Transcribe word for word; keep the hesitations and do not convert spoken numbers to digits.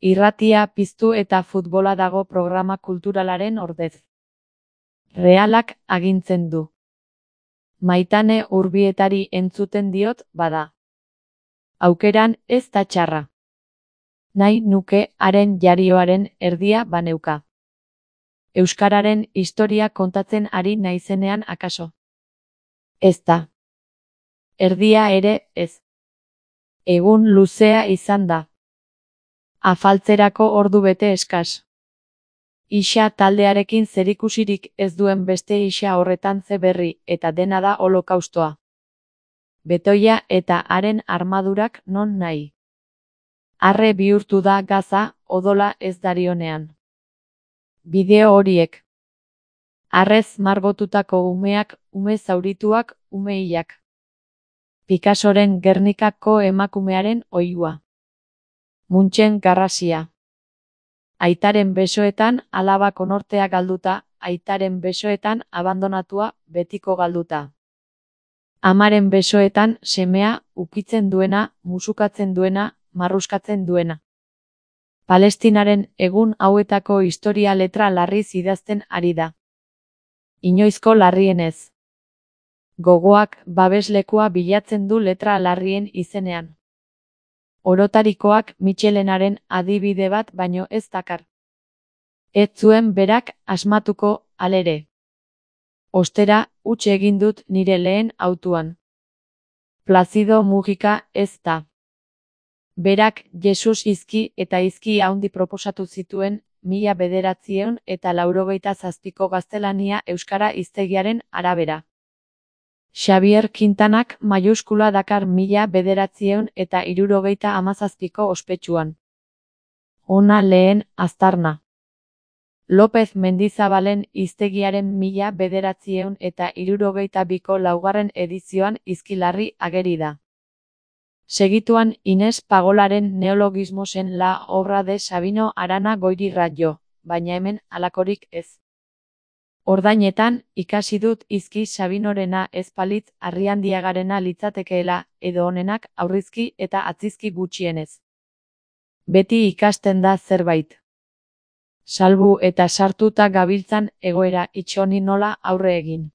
Irratia piztu eta futbola dago programa kulturalaren ordez. Realak agintzen du. Maitane Urbietari entzuten diot, bada. Aukeran ez da txarra. Nahi nuke haren jarioaren erdia baneuka. Euskararen historia kontatzen ari naizenean akaso. Ez da. Erdia ere ez. Egun luzea izan da. Afaltzerako ordu bete eskas. Ixa taldearekin zerikusirik ez duen beste ixa horretan ze berri eta dena da holokaustoa. Betoia eta haren armadurak non nahi. Arre bihurtu da Gaza, odola ez darionean. Bideo horiek. Arrez margotutako umeak, ume zaurituak, ume hilak. Picassoren Gernikako emakumearen oihua. Munchen garrasia. Aitaren besoetan alaba konortea galduta, aitaren besoetan abandonatua, betiko galduta. Amaren besoetan semea, ukitzen duena, musukatzen duena, marruskatzen duena. Palestinaren egun hauetako historia letra larriz idazten ari da. Inoizko larrienez. Gogoak babeslekua bilatzen du letra larrien izenean. Orotarikoak Michelenaren adibide bat baino ez dakar. Ez zuen berak asmatuko, halere. Ostera, huts egin dut nire lehen hautuan. Plazido Mujika ez da. Berak Jesus izki eta izki haundi proposatu zituen, mila bederatziehun eta laurogeita zazpiko gaztelania euskara hiztegiaren arabera. Xavier Quintanak maiuskula dakar mila bederatziehun eta hirurogeita hamazazpiko ospetsuan. Ona lehen aztarna. López Mendizabalen hiztegiaren mila bederatziehun eta hirurogeita biko laugarren edizioan izkilarri ageri da. Segituan Inés Pagolaren neologismosen la obra de Sabino Arana Goiri Rayo, baina hemen halakorik ez. Ordainetan, ikasi dut izki Sabinorena ez palitz Arriandiagarena litzatekeela, edo honenak aurrizki eta atzizki gutxienez. Beti ikasten da zerbait. Salbu eta sartuta gabiltzan egoera itxoni nola aurre egin.